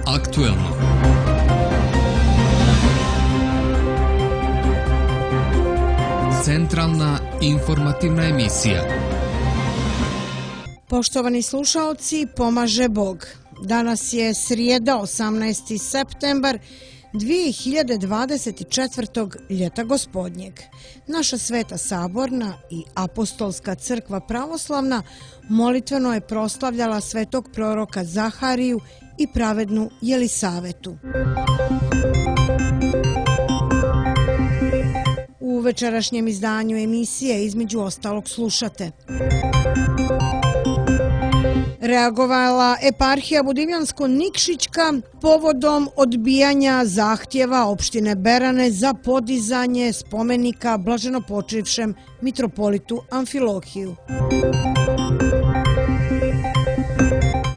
aktuelno. Centralna informativna emisija. Poštovani slušaoci, pomaže Bog. Danas je srijeda, 18. septembar 2024. ljeta gospodnjeg. Naša Sveta Saborna i Apostolska crkva pravoslavna molitveno je proslavljala svetog proroka Zahariju i pravednu Jelisavetu. U večerašnjem izdanju emisije između ostalog slušate. Reagovala eparhija Budivljansko-Nikšićka povodom odbijanja zahtjeva opštine Berane za podizanje spomenika blaženopočivšem mitropolitu Amfilohiju.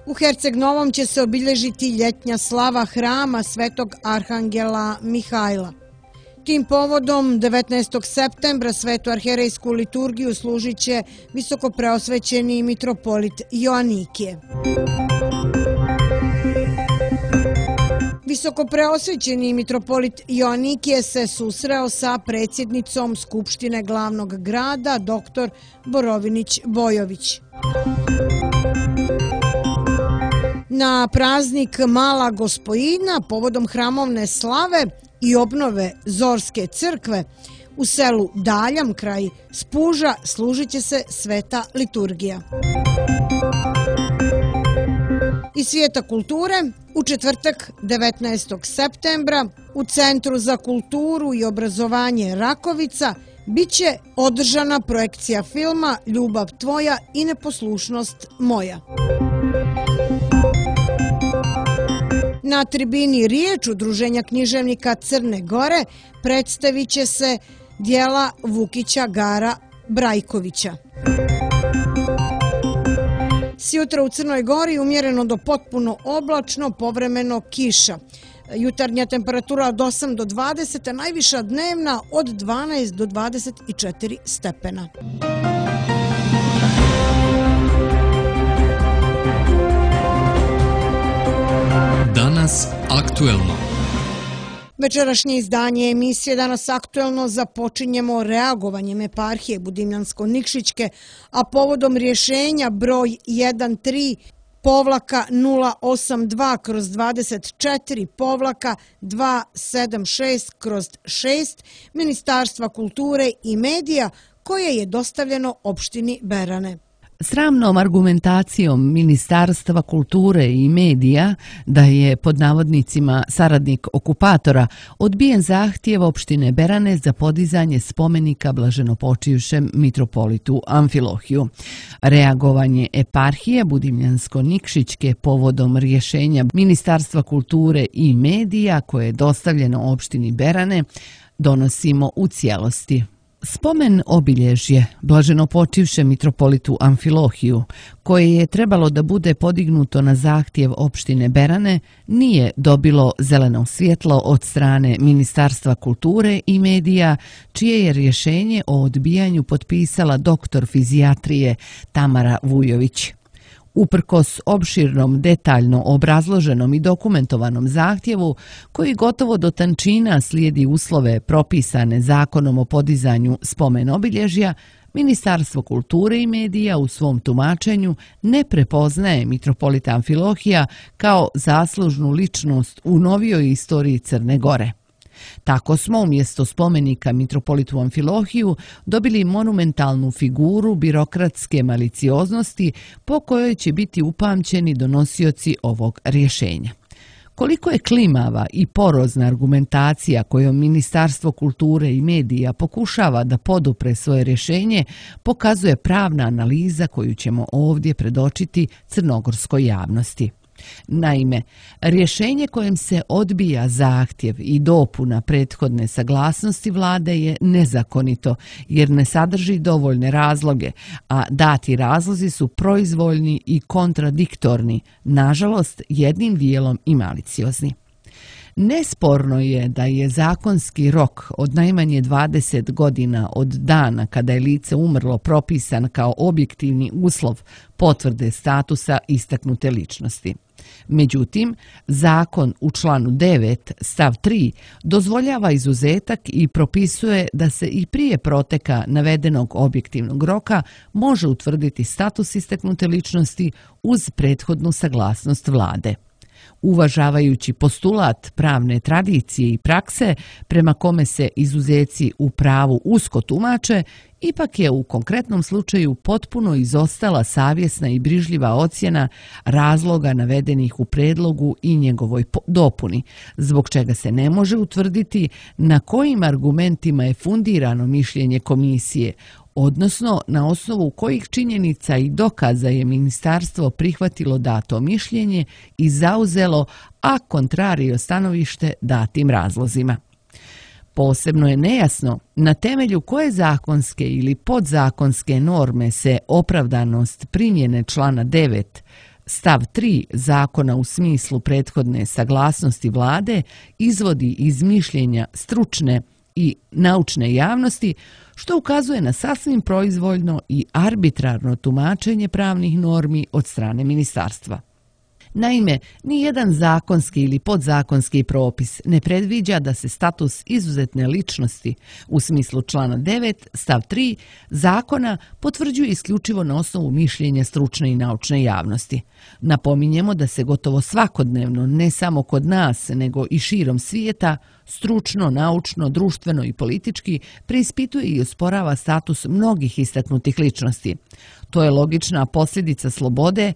U Herceg Novom će se obilježiti ljetnja slava hrama Svetog Arhangela Mihajla. Tim povodom 19. septembra svetu arherejsku liturgiju služit će visokopreosvećeni mitropolit Joanikije. Visokopreosvećeni mitropolit Joanikije se susreo sa predsjednicom Skupštine glavnog grada dr. Borovinić Bojović. Na praznik Mala Gospojina povodom hramovne slave i obnove Zorske crkve u selu Daljam kraj Spuža služit će se sveta liturgija. Iz svijeta kulture u četvrtak 19. septembra u Centru za kulturu i obrazovanje Rakovica biće održana projekcija filma Ljubav tvoja i neposlušnost moja. Na tribini Riječ Udruženja književnika Crne Gore predstavit će se dijela Vukića Gara Brajkovića. Sjutra u Crnoj Gori umjereno do potpuno oblačno, povremeno kiša. Jutarnja temperatura od 8 do 20, a najviša dnevna od 12 do 24 stepena. Danas aktuelno. Večerašnje izdanje emisije Danas aktuelno započinjemo reagovanjem eparhije Budivljansko-Nikšićke, a povodom rješenja broj 13-082/24-276/6 Ministarstva kulture i medija koje je dostavljeno opštini Berane. Sramnom argumentacijom Ministarstva kulture i medija da je pod navodnicima saradnik okupatora odbijen zahtjev opštine Berane za podizanje spomenika blaženopočivšem mitropolitu Amfilohiju. Reagovanje eparhije Budivljansko-Nikšićke povodom rješenja Ministarstva kulture i medija koje je dostavljeno opštini Berane donosimo u cijelosti. Spomen obilježje blaženopočivšem mitropolitu Amfilohiju, koje je trebalo da bude podignuto na zahtjev opštine Berane, nije dobilo zeleno svjetlo od strane Ministarstva kulture i medija, čije je rješenje o odbijanju potpisala doktor fizijatrije Tamara Vujović. Uprkos opširnom, detaljno obrazloženom i dokumentovanom zahtjevu, koji gotovo do tančina slijedi uslove propisane zakonom o podizanju spomen obilježja, Ministarstvo kulture i medija u svom tumačenju ne prepoznaje mitropolita Amfilohija kao zaslužnu ličnost u novijoj istoriji Crne Gore. Tako smo umjesto spomenika mitropolitu Amfilohiju dobili monumentalnu figuru birokratske malicioznosti po kojoj će biti upamćeni donosioci ovog rješenja. Koliko je klimava i porozna argumentacija kojom Ministarstvo kulture i medija pokušava da podupre svoje rješenje, pokazuje pravna analiza koju ćemo ovdje predočiti crnogorskoj javnosti. Naime, rješenje kojem se odbija zahtjev i dopuna prethodne saglasnosti vlade je nezakonito jer ne sadrži dovoljne razloge, a dati razlozi su proizvoljni i kontradiktorni, nažalost jednim dijelom i maliciozni. Nesporno je da je zakonski rok od najmanje 20 godina od dana kada je lice umrlo propisan kao objektivni uslov potvrde statusa istaknute ličnosti. Međutim, zakon u članu 9 stav 3 dozvoljava izuzetak i propisuje da se i prije proteka navedenog objektivnog roka može utvrditi status istaknute ličnosti uz prethodnu saglasnost vlade. Uvažavajući postulat pravne tradicije i prakse prema kome se izuzeci u pravu usko tumače, ipak je u konkretnom slučaju potpuno izostala savjesna i brižljiva ocjena razloga navedenih u predlogu i njegovoj dopuni, zbog čega se ne može utvrditi na kojim argumentima je fundirano mišljenje komisije, odnosno na osnovu kojih činjenica i dokaza je ministarstvo prihvatilo dato mišljenje i zauzelo a contrario stanovište datim razlozima. Posebno je nejasno na temelju koje zakonske ili podzakonske norme se opravdanost primjene člana 9 stav 3 zakona u smislu prethodne saglasnosti vlade izvodi iz mišljenja stručne i naučne javnosti, što ukazuje na sasvim proizvoljno i arbitrarno tumačenje pravnih normi od strane ministarstva. Naime, nijedan zakonski ili podzakonski propis ne predviđa da se status izuzetne ličnosti u smislu člana 9 stav 3 zakona potvrđuje isključivo na osnovu mišljenja stručne i naučne javnosti. Napominjemo da se gotovo svakodnevno, ne samo kod nas, nego i širom svijeta, stručno, naučno, društveno i politički preispituje i osporava status mnogih istaknutih ličnosti. To je logična posljedica slobode,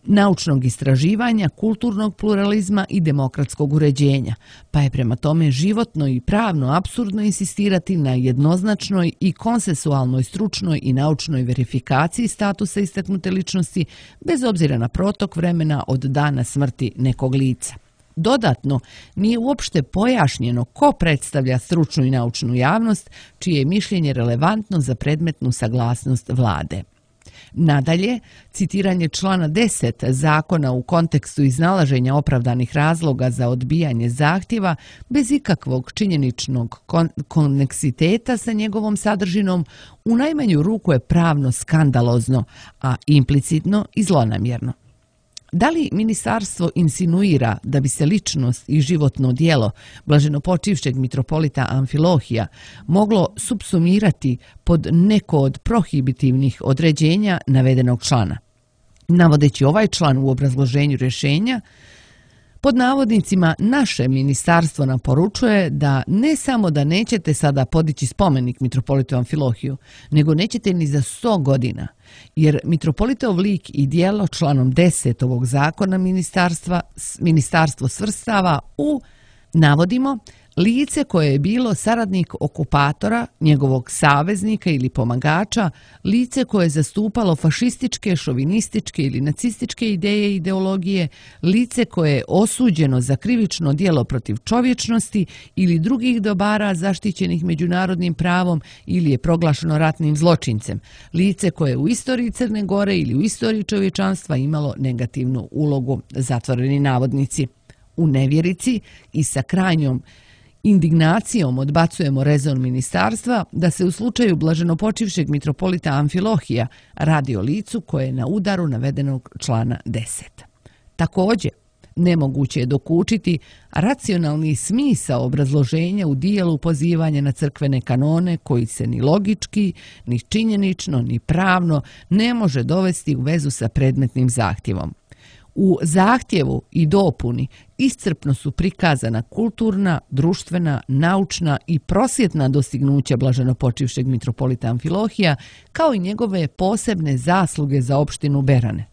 naučnog istraživanja, kulturnog pluralizma i demokratskog uređenja, pa je prema tome životno i pravno apsurdno insistirati na jednoznačnoj i konsensualnoj stručnoj i naučnoj verifikaciji statusa istaknute ličnosti bez obzira na protok vremena od dana smrti nekog lica. Dodatno, nije uopšte pojašnjeno ko predstavlja stručnu i naučnu javnost, čije je mišljenje relevantno za predmetnu saglasnost vlade. Nadalje, citiranje člana 10 zakona u kontekstu iznalaženja opravdanih razloga za odbijanje zahtjeva bez ikakvog činjeničnog koneksiteta sa njegovom sadržinom u najmanju ruku je pravno skandalozno, a implicitno i zlonamjerno. Da li ministarstvo insinuira da bi se ličnost i životno djelo blaženopočivšeg mitropolita Amfilohija moglo supsumirati pod neko od prohibitivnih određenja navedenog člana? Navodeći ovaj član u obrazloženju rješenja, pod navodnicima naše ministarstvo nam poručuje da ne samo da nećete sada podići spomenik mitropolitu Amfilohiju, nego nećete ni za 100 godina, jer mitropolitov lik i djelo članom 10 ovog zakona ministarstvo svrstava u, navodimo, lice koje je bilo saradnik okupatora, njegovog saveznika ili pomagača, lice koje je zastupalo fašističke, šovinističke ili nacističke ideje i ideologije, lice koje je osuđeno za krivično djelo protiv čovječnosti ili drugih dobara zaštićenih međunarodnim pravom ili je proglašeno ratnim zločincem, lice koje je u istoriji Crne Gore ili u istoriji čovječanstva imalo negativnu ulogu, zatvoreni navodnici. U nevjerici i sa krajnjom indignacijom odbacujemo rezon ministarstva da se u slučaju blaženopočivšeg mitropolita Amfilohija radi o licu koje je na udaru navedenog člana 10. Također, nemoguće je dokučiti racionalni smisao obrazloženja u dijelu pozivanja na crkvene kanone koji se ni logički, ni činjenično, ni pravno ne može dovesti u vezu sa predmetnim zahtjevom. U zahtjevu i dopuni iscrpno su prikazana kulturna, društvena, naučna i prosvjetna dostignuća blaženopočivšeg mitropolita Amfilohija, kao i njegove posebne zasluge za opštinu Berane.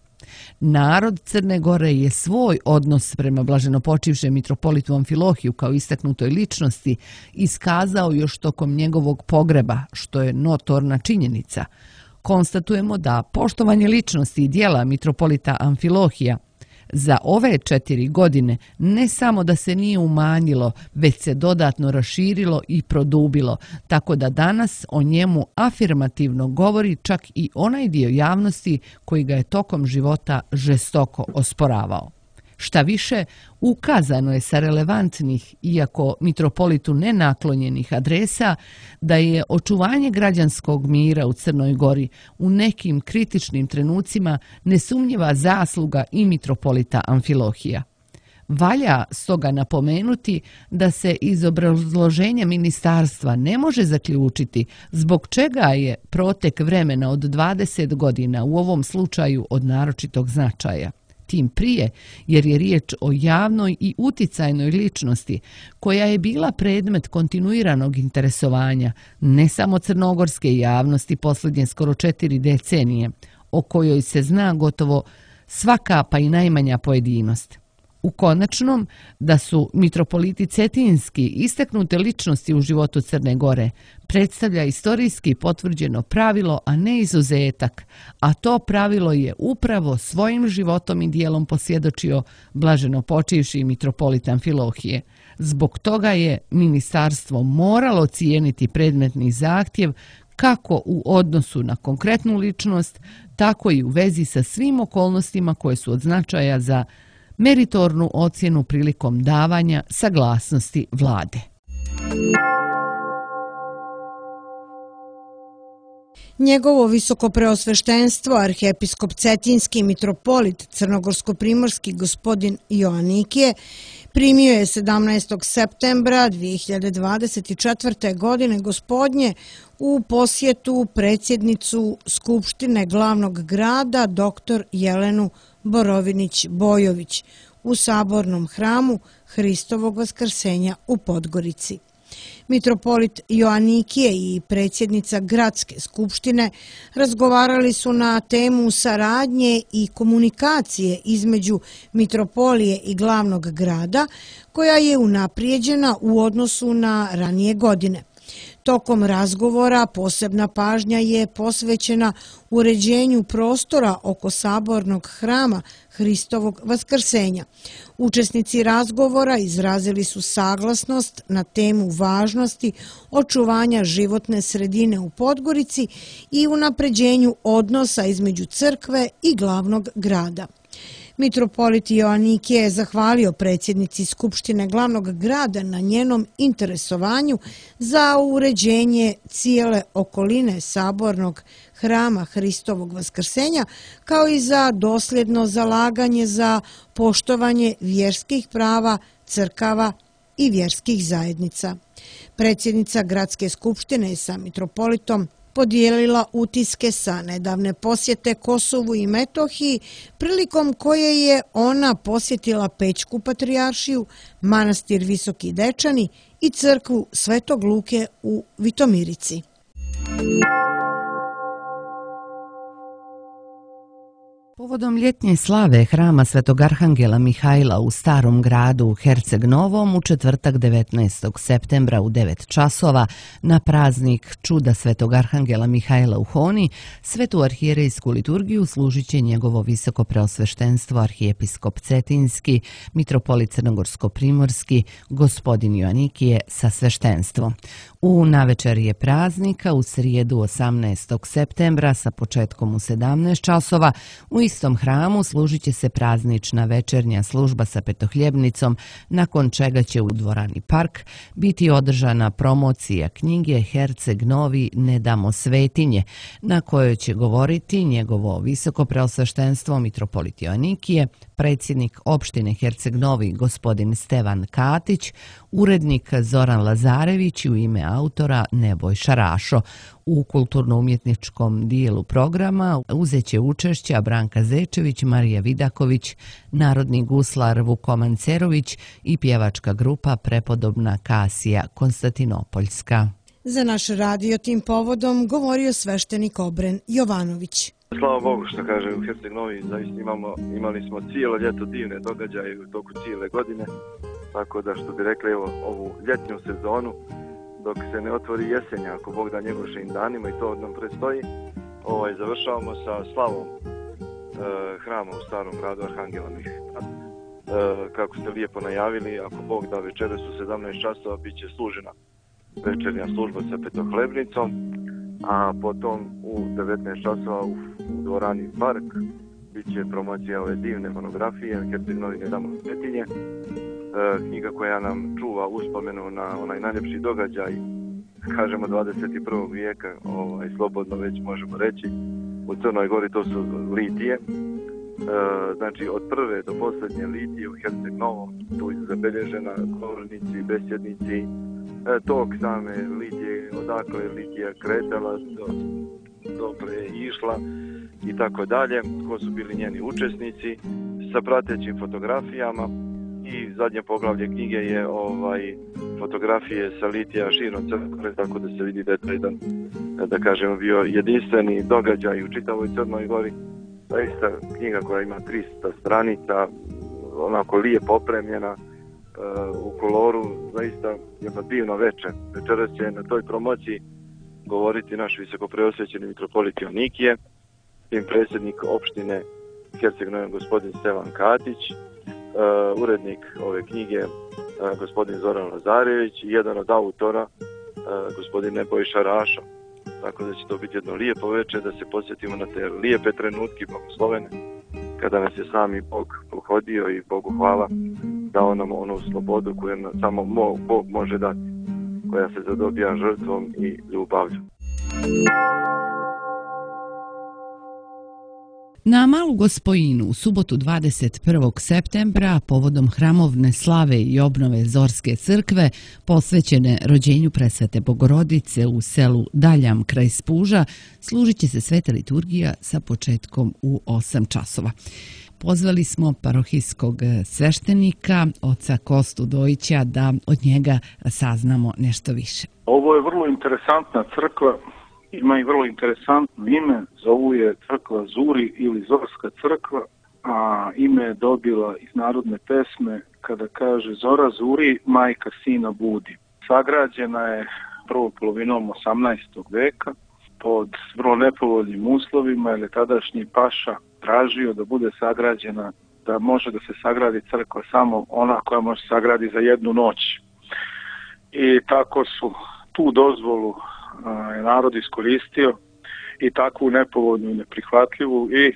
Narod Crne Gore je svoj odnos prema blaženopočivšem mitropolitu Amfilohiju kao istaknutoj ličnosti iskazao još tokom njegovog pogreba, što je notorna činjenica. Konstatujemo da poštovanje ličnosti i djela mitropolita Amfilohija za ove 4 godine ne samo da se nije umanjilo, već se dodatno raširilo i produbilo, tako da danas o njemu afirmativno govori čak i onaj dio javnosti koji ga je tokom života žestoko osporavao. Šta više, ukazano je sa relevantnih, iako mitropolitu nenaklonjenih adresa, da je očuvanje građanskog mira u Crnoj Gori u nekim kritičnim trenucima nesumnjiva zasluga i mitropolita Amfilohija. Valja stoga napomenuti da se iz obrazloženja ministarstva ne može zaključiti zbog čega je protek vremena od 20 godina u ovom slučaju od naročitog značaja. Tim prije jer je riječ o javnoj i uticajnoj ličnosti koja je bila predmet kontinuiranog interesovanja ne samo crnogorske javnosti posljednje skoro 4 decenije, o kojoj se zna gotovo svaka pa i najmanja pojedinost. U konačnom, da su mitropoliti cetinski istaknute ličnosti u životu Crne Gore predstavlja istorijski potvrđeno pravilo, a ne izuzetak, a to pravilo je upravo svojim životom i dijelom posvjedočio blaženo počivši mitropolit Amfilohije. Zbog toga je ministarstvo moralo cijeniti predmetni zahtjev kako u odnosu na konkretnu ličnost, tako i u vezi sa svim okolnostima koje su od značaja za meritornu ocjenu prilikom davanja saglasnosti vlade. Njegovo visokopreosveštenstvo, arhijepiskop cetinski mitropolit crnogorsko-primorski gospodin Joanikije, primio je 17. septembra 2024. godine gospodnje u posjetu predsjednicu Skupštine glavnog grada dr. Jelenu Borovinić-Bojović u sabornom hramu Hristovog vaskrsenja u Podgorici. Mitropolit Joanikije i predsjednica Gradske skupštine razgovarali su na temu saradnje i komunikacije između mitropolije i glavnog grada, koja je unaprijeđena u odnosu na ranije godine. Tokom razgovora posebna pažnja je posvećena uređenju prostora oko sabornog hrama Hristovog vaskrsenja. Učesnici razgovora izrazili su saglasnost na temu važnosti očuvanja životne sredine u Podgorici i unapređenju odnosa između crkve i glavnog grada. Mitropolit Joanikije je zahvalio predsjednici Skupštine glavnog grada na njenom interesovanju za uređenje cijele okoline sabornog hrama Hristovog vaskrsenja, kao i za dosljedno zalaganje za poštovanje vjerskih prava crkava i vjerskih zajednica. Predsjednica Gradske skupštine je sa mitropolitom podijelila utiske sa nedavne posjete Kosovu i Metohiji, prilikom koje je ona posjetila Pećku patrijaršiju, manastir Visoki Dečani i crkvu Svetog Luke u Vitomirici. Povodom ljetnje slave hrama Svetog Arhangela Mihajla u Starom gradu u Herceg Novom u četvrtak 19. septembra u 9 časova na praznik Čuda Svetog Arhangela Mihajla u Honi, svetu arhijerejsku liturgiju služit će njegovo visoko preosveštenstvo arhijepiskop cetinski, mitropolit crnogorsko-primorski, gospodin Joanikije sa sveštenstvom. U navečerje praznika u srijedu 18. septembra sa početkom u 17 časova u istom hramu služit će se praznična večernja služba sa petohljebnicom, nakon čega će u dvorani Park biti održana promocija knjige Herceg Novi ne damo svetinje, na kojoj će govoriti njegovo visoko preosveštenstvo mitropolit Joanikije, predsjednik opštine Herceg Novi gospodin Stevan Katić, urednik Zoran Lazarević i u ime autora Nebojša Rašo. U kulturno-umjetničkom dijelu programa uzet će učešća Branka Zečević, Marija Vidaković, narodni guslar Vukoman Cerović i pjevačka grupa Prepodobna Kasija Konstantinopoljska. Za naš radio tim povodom govorio sveštenik Obren Jovanović. Slava Bogu što kaže u Herceg Novi, zaista imali smo cijelo ljeto divne događaje u toku cijele godine, tako da što bi rekli ovu ljetnju sezonu, dok se ne otvori jesenja, ako Bog da njegovšim danima i to nam predstoji, završavamo sa slavom hrama u Starom gradu Arhangela Mihajla. Kako ste lijepo najavili, ako Bog da večeras u 17 časova bit će služena večernja služba sa petohlebnicom, a potom u 19 časova u dvorani Park bit će promocija ove divne monografije Herceg Novi nedamo Cetinje, knjiga koja nam čuva uspomenu na onaj najljepši događaj, kažemo 21. vijeka, slobodno već možemo reći, u Crnoj Gori, to su litije. Znači od prve do posljednje litije u Herceg Novom, tu je zabilježena govornici, besjednici, tok same litije, odakle je litija kretala, dokle je išla i tako dalje, ko su bili njeni učesnici, sa pratećim fotografijama. I zadnje poglavlje knjige je fotografije sa litija širom Crne, tako da se vidi da je to jedan, da kažemo, bio jedinstveni događaj u čitavoj Crnoj Gori. Zaista knjiga koja ima 300 stranica, onako lijepo opremljena, u koloru, zaista jedno divno večer. Večeras će na toj promociji govoriti naš visokopreosvećeni mitropolit Joanikije, tim predsjednik opštine Herceg Novi gospodin Stevan Katić, urednik ove knjige gospodin Zoran Lazarević i jedan od autora gospodin Nebojša Rašo. Tako da će to biti jedno lijepo večer, da se posjetimo na te lijepe trenutke blagoslovene kada nas je sami Bog pohodio i Bogu hvala dao nam onu slobodu koju samo Bog može dati, koja se zadobija žrtvom i ljubavlju. Na Malu Gospojinu u subotu 21. septembra povodom hramovne slave i obnove Zorske crkve posvećene rođenju Presvete Bogorodice u selu Daljam kraj Spuža služit će se sveta liturgija sa početkom u 8 časova. Pozvali smo parohijskog sveštenika, oca Kostu Dojića, da od njega saznamo nešto više. Ovo je vrlo interesantna crkva. Ima i vrlo interesantno ime, zovu je crkva Zuri ili Zorska crkva, a ime je dobila iz narodne pesme kada kaže Zora zuri, majka sina budi. Sagrađena je prvom polovinom 18. veka pod vrlo nepovoljnim uslovima, jer je tadašnji paša tražio da bude sagrađena, da može da se sagradi crkva samo ona koja može sagradi za jednu noć. I tako su tu dozvolu je narod iskoristio i takvu nepovoljnu i neprihvatljivu, i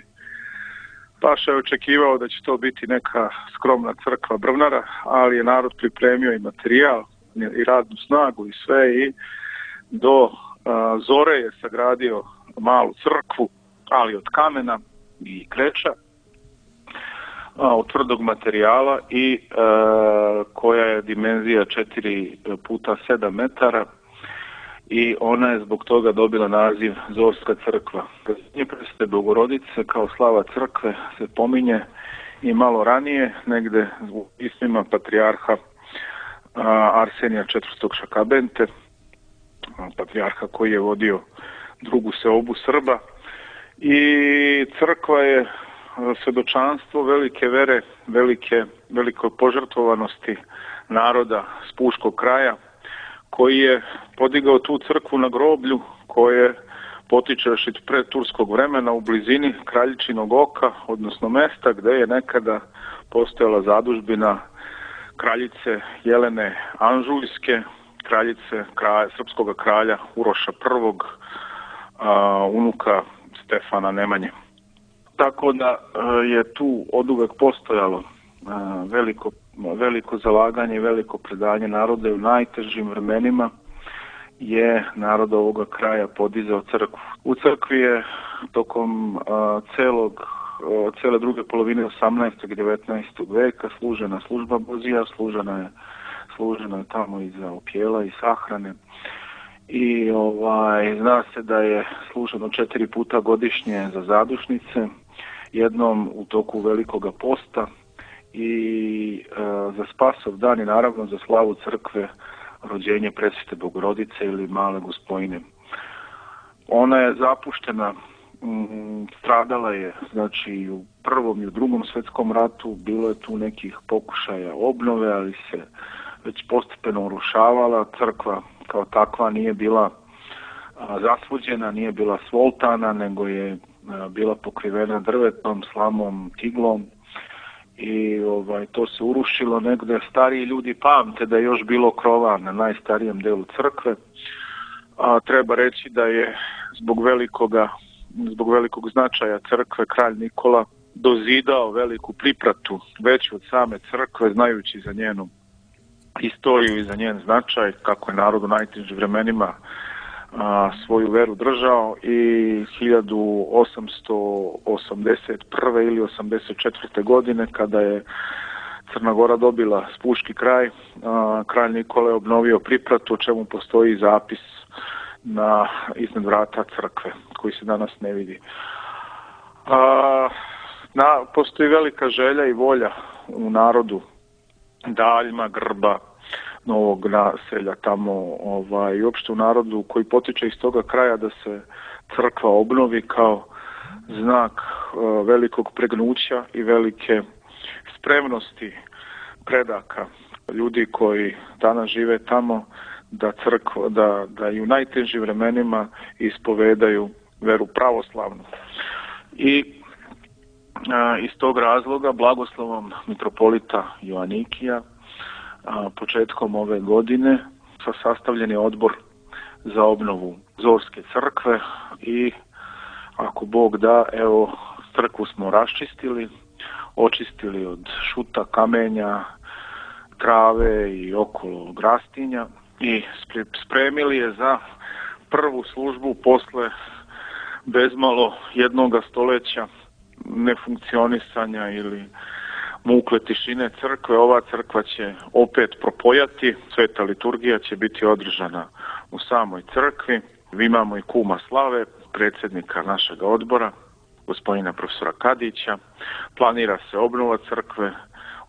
paša je očekivao da će to biti neka skromna crkva Brvnara, ali je narod pripremio i materijal i radnu snagu i sve, i do zore je sagradio malu crkvu, ali od kamena i kreča, od tvrdog materijala, i koja je dimenzija 4 puta 7 metara, i ona je zbog toga dobila naziv Zorska crkva. Rođenje Presvete Bogorodice kao slava crkve se pominje i malo ranije, negde u pismima patrijarha Arsenija IV. Šakabente, patrijarha koji je vodio drugu seobu Srba, i crkva je svedočanstvo velike vere, velike požrtvovanosti naroda Spuškog kraja, koji je podigao tu crkvu na groblju koje potiče još iz predturskog vremena u blizini Kraljičinog oka, odnosno mesta gde je nekada postojala zadužbina kraljice Jelene Anžujske, kraljice srpskog kralja Uroša I, unuka Stefana Nemanje. Tako da je tu oduvek postojalo veliko zalaganje i veliko predanje naroda, i u najtežim vremenima je narod ovoga kraja podizao crkvu. U crkvi je tokom cele druge polovine 18. i 19. veka služena služba Bozija, služena je tamo i za opjela i sahrane, i zna se da je služeno 4 puta godišnje za zadušnice, jednom u toku Velikoga posta i za Spasov dan, i naravno za slavu crkve rođenje Presvete Bogorodice ili Male Gospojine. Ona je zapuštena, stradala je, znači, u Prvom i u Drugom svjetskom ratu, bilo je tu nekih pokušaja obnove, ali se već postepeno urušavala. Crkva kao takva nije bila zasvuđena, nije bila svoltana, nego je bila pokrivena drvetom, slamom, tiglom, i to se urušilo. Negde stariji ljudi pamte da je još bilo krova na najstarijem delu crkve, a treba reći da je zbog velikog značaja crkve kralj Nikola dozidao veliku pripratu veću od same crkve, znajući za njenu istoriju i za njen značaj, kako je narod u najtežim vremenima svoju veru držao, i 1881. ili 84. godine, kada je Crna Gora dobila Spuški kraj, kralj Nikola je obnovio pripratu, o čemu postoji zapis iznad vrata crkve, koji se danas ne vidi. Postoji velika želja i volja u narodu Daljma, Grba, Novog naselja tamo, i uopšte u narodu koji potiče iz toga kraja da se crkva obnovi kao znak velikog pregnuća i velike spremnosti predaka ljudi koji danas žive tamo, da i u najtežim vremenima ispovedaju veru pravoslavnu. I iz tog razloga blagoslovom mitropolita Joanikija početkom ove godine sastavljen je odbor za obnovu Zorske crkve i ako Bog da, evo, crkvu smo raščistili, očistili od šuta, kamenja, trave i okolo grastinja i spremili je za prvu službu posle bezmalo jednoga stoljeća nefunkcionisanja ili mukle tišine crkve. Ova crkva će opet propojati, sveta liturgija će biti održana u samoj crkvi. Imamo i kuma slave, predsjednika našeg odbora, gospodina profesora Kadića. Planira se obnova crkve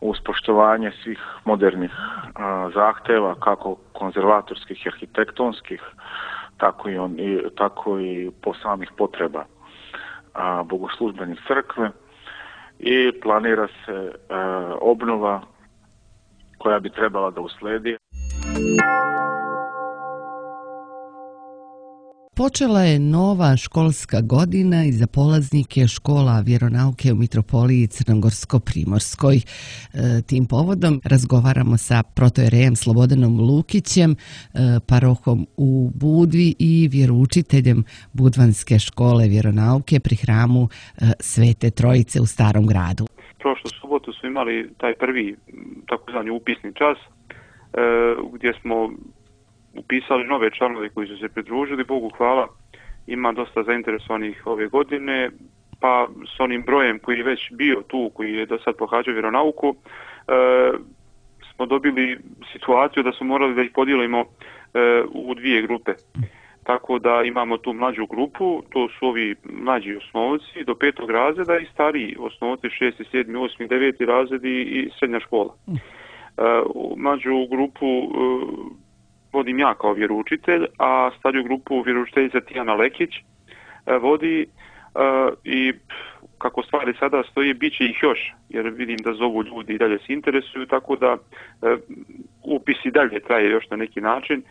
uz poštovanje svih modernih zahteva, kako konzervatorskih i arhitektonskih, tako i po samih potreba bogoslužbenih crkve, i planira se obnova koja bi trebala da usledi. Počela je nova školska godina i za polaznike škola vjeronauke u Mitropoliji Crnogorsko-Primorskoj. Tim povodom razgovaramo sa protojerejem Slobodanom Lukićem, parohom u Budvi i vjeroučiteljem Budvanske škole vjeronauke pri hramu Svete Trojice u Starom gradu. Prošlu subotu smo imali taj prvi takozvani upisni čas gdje smo upisali nove članove koji su se pridružili. Bogu hvala, ima dosta zainteresovanih ove godine, pa s onim brojem koji je već bio tu, koji je do sad pohađao vjeronauku, smo dobili situaciju da smo morali da ih podijelimo u dvije grupe. Tako da imamo tu mlađu grupu, to su ovi mlađi osnovci do 5. razreda i stariji osnovci 6., 7., 8., 9. razredi i srednja škola. Mlađu grupu vodim ja kao vjeroučitelj, a stariju grupu vjeroučiteljica Tijana Lekić vodi, i kako stvari sada stoji, bit će ih još, jer vidim da zovu ljudi i dalje se interesuju, tako da upis i dalje traje još na neki način,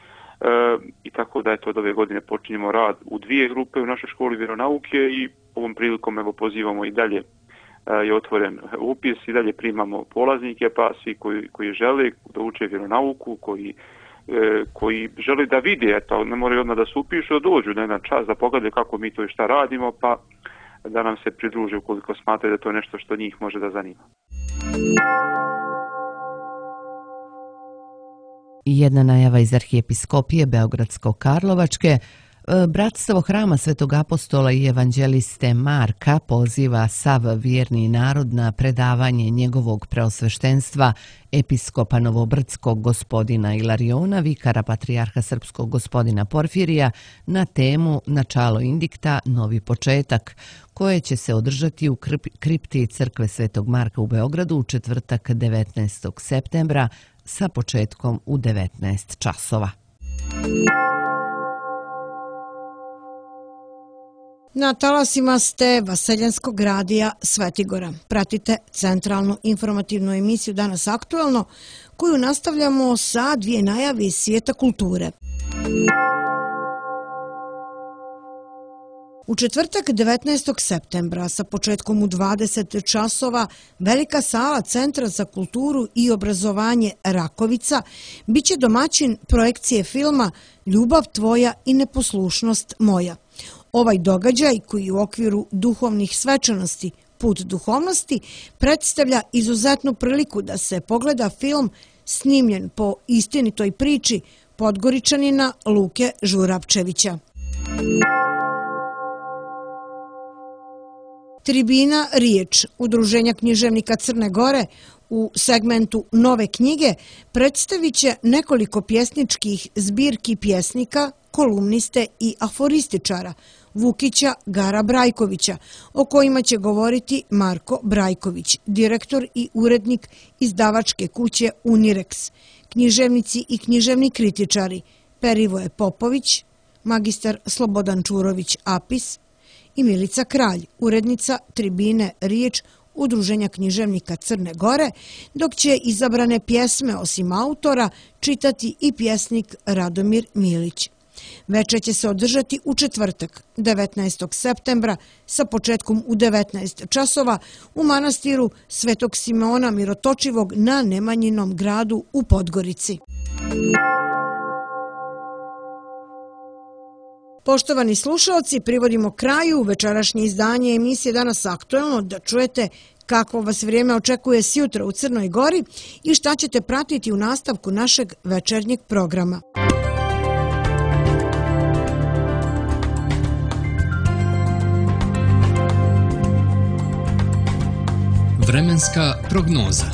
i tako da od ove godine počinjemo rad u dvije grupe u našoj školi vjeronauke i ovom prilikom pozivamo i dalje je otvoren upis, i dalje primamo polaznike, pa svi koji žele da uče vjeronauku, koji žele da vide, ne moraju odmah da se upišu, da dođu na jedan čas, da pogledaju kako mi to i šta radimo, pa da nam se pridruže ukoliko smatraju da to je nešto što njih može da zanima. Jedna najava iz arhijepiskopije Beogradsko-Karlovačke. Bratstvo hrama Svetog apostola i evanđeliste Marka poziva sav vjerni narod na predavanje njegovog preosveštenstva episkopa Novobrdskog gospodina Ilariona, vikara patrijarha srpskog gospodina Porfirija, na temu Načalo indikta, novi početak, koje će se održati u kripti crkve Svetog Marka u Beogradu u četvrtak 19. septembra sa početkom u 19 časova. Na talasima ste Vaseljanskog radija Svetigora. Pratite centralnu informativnu emisiju Danas aktuelno, koju nastavljamo sa dvije najave iz svijeta kulture. U četvrtak 19. septembra sa početkom u 20 časova velika sala Centra za kulturu i obrazovanje Rakovica biće domaćin projekcije filma Ljubav tvoja i neposlušnost moja. Ovaj događaj, koji u okviru duhovnih svečanosti Put duhovnosti predstavlja izuzetnu priliku da se pogleda film snimljen po istinitoj priči Podgoričanina Luke Žurapčevića. Tribina Riječ, Udruženja književnika Crne Gore, u segmentu Nove knjige predstavit će nekoliko pjesničkih zbirki pjesnika, kolumniste i aforističara Vukića Gara Brajkovića, o kojima će govoriti Marko Brajković, direktor i urednik izdavačke kuće Unirex, književnici i književni kritičari Perivoje Popović, magistar Slobodan Čurović Apis i Milica Kralj, urednica Tribine Riječ Udruženja književnika Crne Gore, dok će izabrane pjesme osim autora čitati i pjesnik Radomir Milić. Večer će se održati u četvrtak, 19. septembra, sa početkom u 19 časova u manastiru Svetog Simeona Mirotočivog na Nemanjinom gradu u Podgorici. Poštovani slušalci, privodimo kraju večerašnje izdanje emisije Danas aktuelno, da čujete kako vas vrijeme očekuje sjutra u Crnoj Gori i šta ćete pratiti u nastavku našeg večernjeg programa. Vremenska prognoza.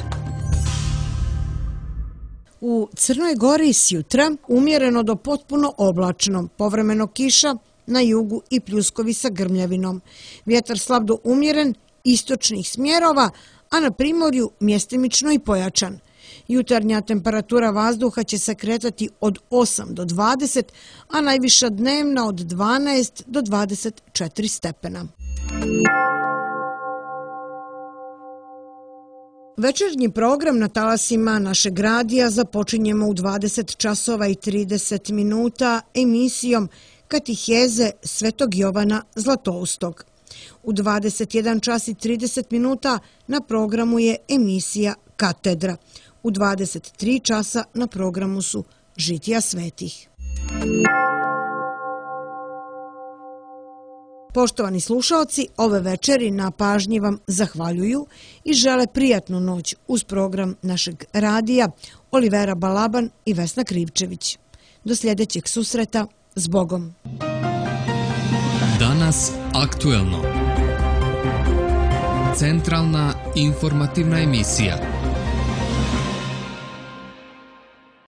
U Crnoj Gori sjutra umjereno do potpuno oblačno, povremeno kiša, na jugu i pljuskovi sa grmljavinom. Vjetar slab do umjeren, istočnih smjerova, a na primorju mjestimično i pojačan. Jutarnja temperatura vazduha će se kretati od 8 do 20, a najviša dnevna od 12 do 24 stepena. Večernji program na talasima našeg radija započinjemo u 20 časova i 30 minuta emisijom Katiheze Svetog Jovana Zlatoustog. U 21 čas i 30 minuta na programu je emisija Katedra. U 23 časa na programu su Žitija svetih. Poštovani slušalci, ove večeri na pažnji vam zahvaljuju i žele prijatnu noć uz program našeg radija Olivera Balaban i Vesna Krivčević. Do sljedećeg susreta, s Bogom. Danas aktuelno. Centralna informativna emisija.